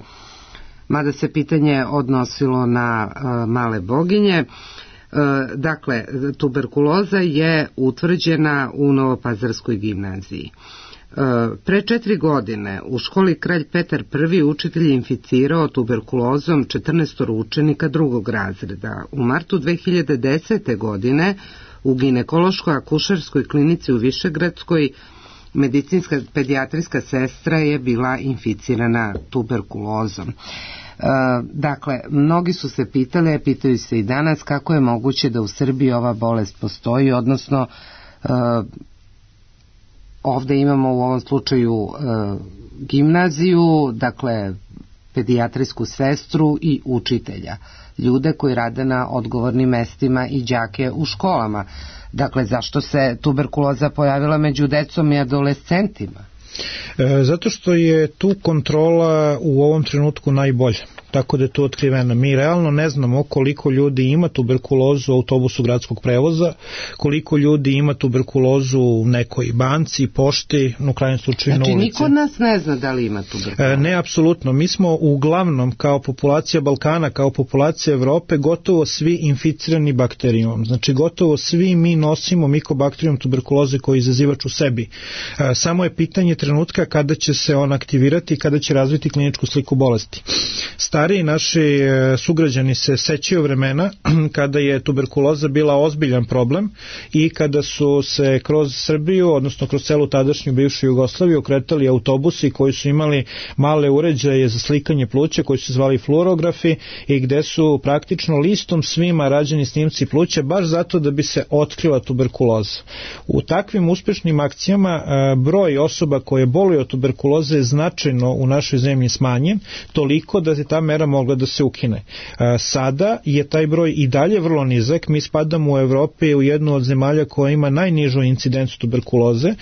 mada se pitanje odnosilo na male boginje. Dakle, tuberkuloza je utvrđena u Novopazarskoj gimnaziji. Pre 4 godine u školi Kralj Petar I učitelj je inficirao tuberkulozom 14 učenika drugog razreda. U martu 2010. godine u ginekološkoj akušerskoj klinici u Višegradskoj medicinska pedijatrijska sestra je bila inficirana tuberkulozom. Dakle, mnogi su se pitali, pitaju se i danas, kako je moguće da u Srbiji ova bolest postoji, odnosno ovde imamo u ovom slučaju gimnaziju, dakle pedijatrijsku sestru i učitelja, ljude koji rade na odgovornim mestima i đake u školama. Dakle, zašto se tuberkuloza pojavila među decom i adolescentima? Zato što je tu kontrola u ovom trenutku najbolja, tako da je to otkriveno. Mi realno ne znamo koliko ljudi ima tuberkulozu u autobusu gradskog prevoza, koliko ljudi ima tuberkulozu u nekoj banci, pošti, u krajnjem slučaju na ulici. Znači, niko od nas ne zna da li ima tuberkulozu? Ne, apsolutno. Mi smo uglavnom, kao populacija Balkana, kao populacija Evrope, gotovo svi inficirani bakterijom. Znači, gotovo svi mi nosimo mikobakterijom tuberkuloze koji je izazivač u sebi. Samo je pitanje trenutka kada će se on aktivirati i kada će razviti kliničku sliku bolesti. Stariji naši sugrađani se sećaju vremena kada je tuberkuloza bila ozbiljan problem i kada su se kroz Srbiju, odnosno kroz celu tadašnju bivšu Jugoslaviju, okretali autobusi koji su imali male uređaje za slikanje pluća koji su zvali fluorografi i gde su praktično listom svima rađeni snimci pluća baš zato da bi se otkrila tuberkuloza. U takvim uspešnim akcijama broj osoba koje boluju od tuberkuloze je značajno u našoj zemlji smanjen, toliko da je ta mera mogla da se ukine. Sada je taj broj i dalje vrlo nizak, mi spadamo u Evropi u jednu od zemalja koja ima najnižu incidenciju tuberkuloze,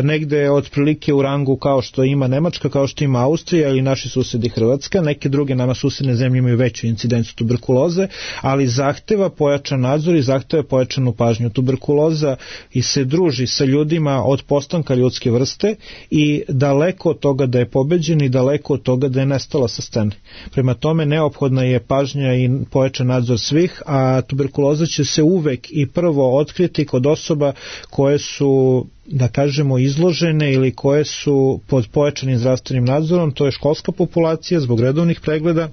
negde otprilike u rangu kao što ima Nemačka, kao što ima Austrija ili naši susedi Hrvatska, neke druge nama susedne zemlje imaju veću incidenciju tuberkuloze, ali zahteva pojačan nadzor i zahteva pojačanu pažnju. Tuberkuloza i se druži sa ljudima od postanka ljudske vrste i daleko od toga da je pobeđen i daleko od toga da je nestala sa scene. Prema tome neophodna je pažnja i pojačan nadzor svih, a tuberkuloza će se uvek i prvo otkriti kod osoba koje su, da kažemo, izložene ili koje su pod pojačanim zdravstvenim nadzorom, to je školska populacija zbog redovnih pregleda,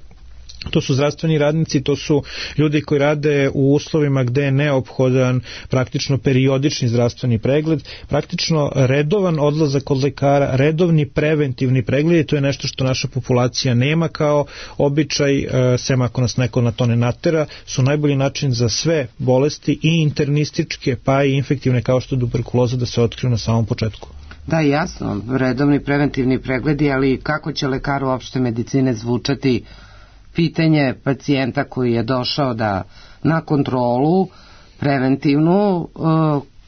to su zdravstveni radnici, to su ljudi koji rade u uslovima gde je neophodan praktično periodični zdravstveni pregled, praktično redovan odlazak kod lekara, redovni preventivni pregled, i to je nešto što naša populacija nema kao običaj, sem ako nas neko na to ne natera, su najbolji način za sve bolesti i internističke pa i infektivne kao što je tuberkuloza da se otkriju na samom početku. Da, jasno, redovni preventivni pregledi, ali kako će lekar opšte medicine zvučati pitanje pacijenta koji je došao na kontrolu preventivnu,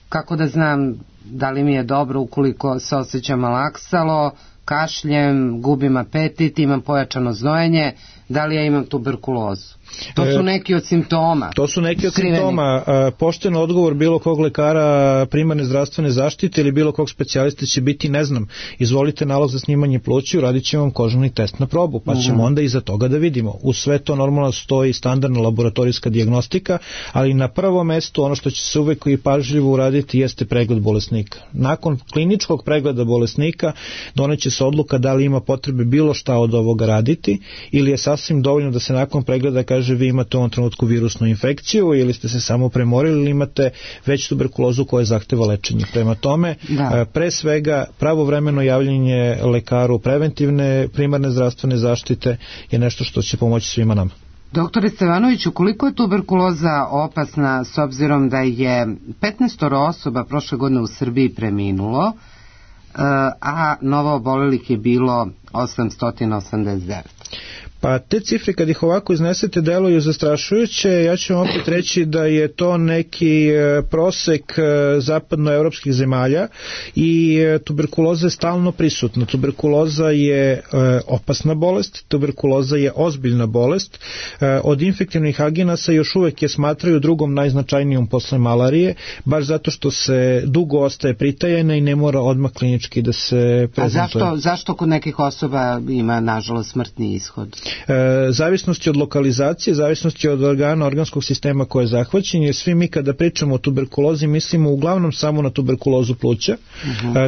kako da znam da li mi je dobro ukoliko se osjećam malaksalo, kašljem, gubim apetit, imam pojačano znojenje, da li ja imam tuberkulozu? To su neki od simptoma. To su neki od simptoma. Pošten odgovor bilo kog lekara primarne zdravstvene zaštite ili bilo kog specijalista će biti ne znam. Izvolite nalog za snimanje pluća, uradit ćemo vam kožani test na probu, pa ćemo onda iza toga da vidimo. U sve to normalno stoji standardna laboratorijska dijagnostika, ali na prvom mestu ono što će se uvek i pažljivo uraditi jeste pregled bolesnika. Nakon kliničkog pregleda bolesnika doneće se odluka da li ima potrebe bilo šta od ovoga raditi ili je sasvim dovoljno da se nakon pregleda kaže vi imate u ovom trenutku virusnu infekciju ili ste se samo premorili ili imate već tuberkulozu koja zahteva lečenje. Prema tome, pre svega pravovremeno javljanje lekaru preventivne primarne zdravstvene zaštite je nešto što će pomoći svima nama. Doktore Stevanoviću, koliko je tuberkuloza opasna s obzirom da je 15 osoba prošle godine u Srbiji preminulo, a novo obolelih je bilo 889? Pa te cifre kad ih ovako iznesete deluju zastrašujuće. Ja ću vam opet reći da je to neki prosek zapadnoevropskih zemalja i tuberkuloza je stalno prisutna. Tuberkuloza je opasna bolest, tuberkuloza je ozbiljna bolest. Od infektivnih agenasa još uvek je smatraju drugom najznačajnijom posle malarije, baš zato što se dugo ostaje pritajena i ne mora odmah klinički da se prezentuje. A zašto kod nekih osoba ima nažalost smrtni ishod? Zavisnosti od lokalizacije, zavisnosti od organa, organskog sistema koje je zahvaćen, jer svi mi kada pričamo o tuberkulozi mislimo uglavnom samo na tuberkulozu pluća,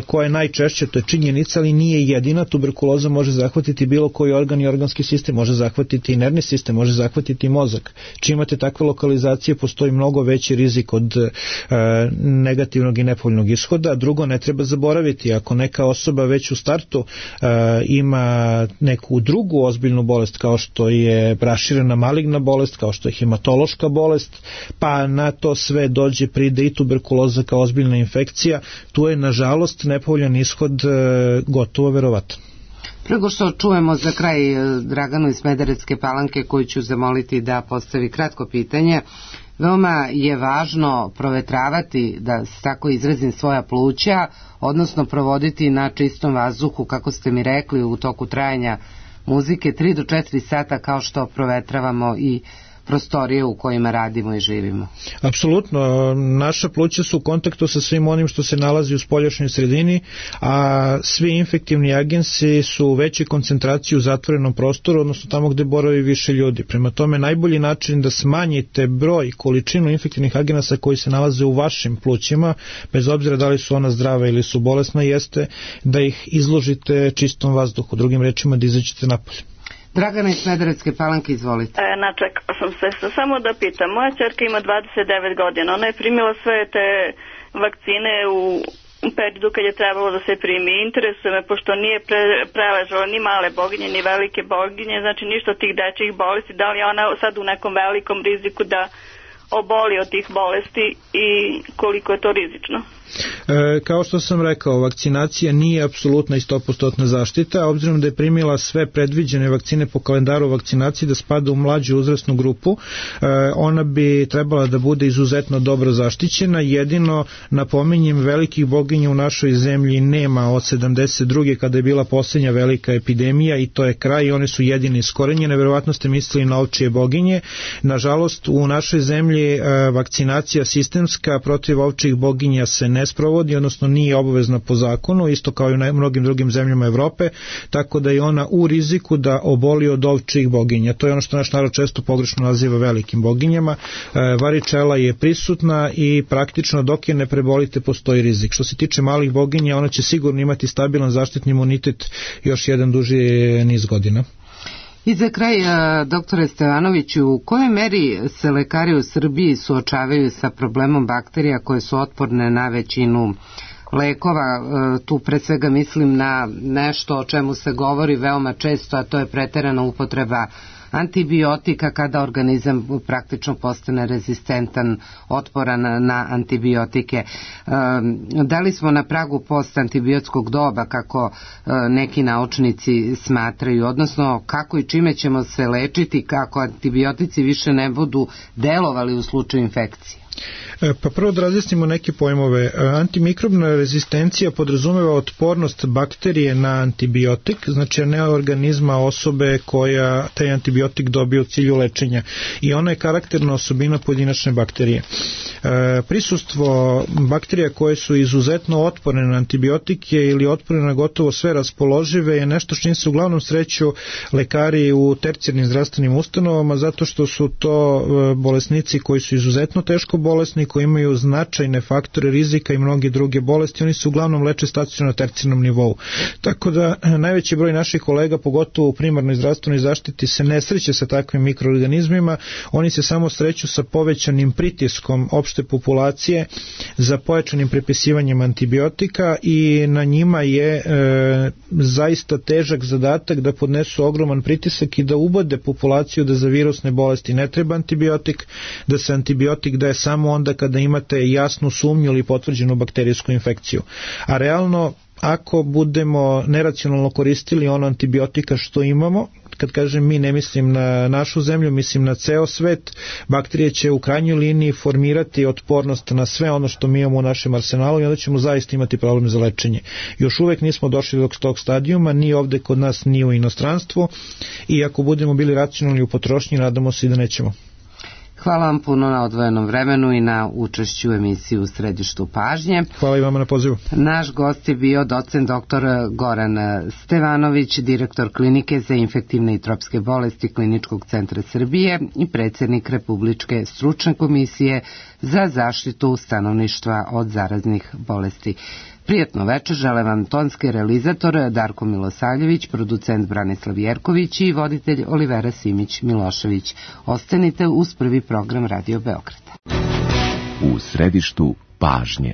koja je najčešće, to je činjenica, ali nije jedina. Tuberkuloza može zahvatiti bilo koji organ i organski sistem, može zahvatiti i nervni sistem, može zahvatiti i mozak. Čim imate takve lokalizacije, postoji mnogo veći rizik od negativnog i nepovoljnog ishoda. Drugo, ne treba zaboraviti, ako neka osoba već u startu ima neku drugu ozbiljnu bolest, kao što je raširena maligna bolest, kao što je hematološka bolest, pa na to sve pride i tuberkuloza kao ozbiljna infekcija, tu je nažalost nepovoljan ishod gotovo verovatan. Prego što čujemo za kraj Draganu iz Smederevske Palanke, koju ću zamoliti da postavi kratko pitanje, veoma je važno provetravati, da se tako izrazim, svoja pluća, odnosno provoditi na čistom vazduhu, kako ste mi rekli, u toku trajanja muzike 3 do 4 sata, kao što provetravamo i prostorije u kojima radimo i živimo. Apsolutno, naša pluća su u kontaktu sa svim onim što se nalazi u spoljašnjoj sredini, a svi infektivni agensi su u većoj koncentraciji u zatvorenom prostoru, odnosno tamo gde boravi više ljudi. Prema tome, najbolji način da smanjite broj i količinu infektivnih agenasa koji se nalaze u vašim plućima, bez obzira da li su ona zdrava ili su bolesna, jeste da ih izložite čistom vazduhu, drugim rečima da izađete napolje. Dragana iz Smederevske Palanke, izvolite. Načekala sam se. Samo da pitam, moja ćerka ima 29 godina, ona je primila sve te vakcine u periodu kad je trebalo da se primi. Interesuje me, pošto nije preležala ni male boginje, ni velike boginje, znači ništa od tih dečjih bolesti, da li je ona sad u nekom velikom riziku da oboli od tih bolesti i koliko je to rizično? Kao što sam rekao, vakcinacija nije apsolutna i 100% zaštita, obzirom da je primila sve predviđene vakcine po kalendaru vakcinacije da spada u mlađu uzrasnu grupu, ona bi trebala da bude izuzetno dobro zaštićena. Jedino napominjem, velikih boginja u našoj zemlji nema od 72. kada je bila posljednja velika epidemija i to je kraj i one su jedine iskorenjene. Verovatno ste mislili na ovčije boginje. Nažalost, u našoj zemlji vakcinacija sistemska protiv ovčijih boginja se ne sprovodi, odnosno nije obavezna po zakonu, isto kao i u mnogim drugim zemljama Evrope, tako da je ona u riziku da oboli od ovčijih boginja. To je ono što naš narod često pogrešno naziva velikim boginjama. Varičela je prisutna i praktično dok je ne prebolite postoji rizik. Što se tiče malih boginja, ona će sigurno imati stabilan zaštitni imunitet još jedan duži niz godina. I za kraj, doktore Stevanoviću, u kojoj meri se lekari u Srbiji suočavaju sa problemom bakterija koje su otporne na većinu lekova? Tu pre svega mislim na nešto o čemu se govori veoma često, a to je preterana upotreba antibiotika kada organizam praktično postane rezistentan, otporan na antibiotike. Da li smo na pragu postantibiotskog doba, kako neki naučnici smatraju, odnosno kako i čime ćemo se lečiti kako antibiotici više ne budu delovali u slučaju infekcije? Pa prvo da razjasnimo neke pojmove. Antimikrobna rezistencija podrazumeva otpornost bakterije na antibiotik, znači ne organizma osobe koja taj antibiotik dobije u cilju lečenja, i ona je karakterna osobina pojedinačne bakterije. Prisustvo bakterija koje su izuzetno otporne na antibiotike ili otporne na gotovo sve raspoložive je nešto s čim se uglavnom sreću lekari u tercijarnim zdravstvenim ustanovama, zato što su to bolesnici koji su izuzetno teško bolesni, koji imaju značajne faktore rizika i mnoge druge bolesti. Oni se uglavnom leče stacionarno na tercijarnom nivou. Tako da najveći broj naših kolega, pogotovo u primarnoj zdravstvenoj zaštiti, se ne sreće sa takvim mikroorganizmima, oni se samo sreću sa povećanim pritiskom opšte populacije za pojačanim prepisivanjem antibiotika i na njima je zaista težak zadatak da podnesu ogroman pritisak i da ubode populaciju da za virusne bolesti ne treba antibiotik, da se antibiotik daje samo onda kada imate jasnu sumnju ili potvrđenu bakterijsku infekciju. A realno, ako budemo neracionalno koristili ono antibiotika što imamo, kad kažem mi, ne mislim na našu zemlju, mislim na ceo svet, bakterije će u krajnjoj liniji formirati otpornost na sve ono što mi imamo u našem arsenalu i onda ćemo zaista imati problem za lečenje. Još uvek nismo došli do tog stadijuma, ni ovde kod nas, ni u inostranstvu, i ako budemo bili racionalni u potrošnji, nadamo se i da nećemo. Hvala vam puno na odvojenom vremenu i na učešću u emisiji U središtu pažnje. Hvala i vama na pozivu. Naš gost je bio docent dr. Goran Stevanović, direktor Klinike za infektivne i tropske bolesti Kliničkog centra Srbije i predsjednik Republičke stručne komisije za zaštitu stanovništva od zaraznih bolesti. Prijatno večer, žele vam tonski realizator Darko Milosavljević, producent Branislav Jerković i voditelj Olivera Simić-Milošević. Ostanite uz prvi program Radio Beograda. U središtu pažnje.